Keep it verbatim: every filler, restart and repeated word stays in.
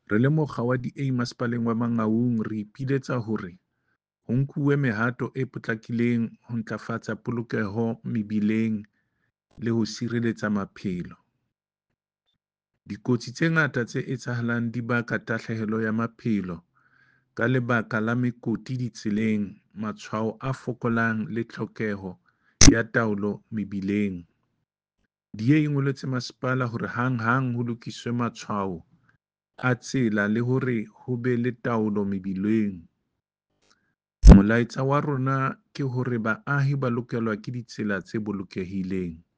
Re le mokga wa D A Masepaleng wa Mangaung, re ipiletsa hore ho nkuwe mehato e potlakileng ho ntlafatsa polokeho mebileng le ho sireletsa maphelo. Dikotsi tse ngata tse etsahalang di baka tahlehelo ya maphelo ka lebaka la mekoti ditseleng, matshwao a fokolang le tlhokeho ya taolo mebileng. D A e ngoletse masepala hore hanghang ho lokiswe matshwao a tsela le hore ho be le taolo mebileng. Molaetsa wa rona ke hore baahi ba lokelwa ke ditsela tse bolokehileng.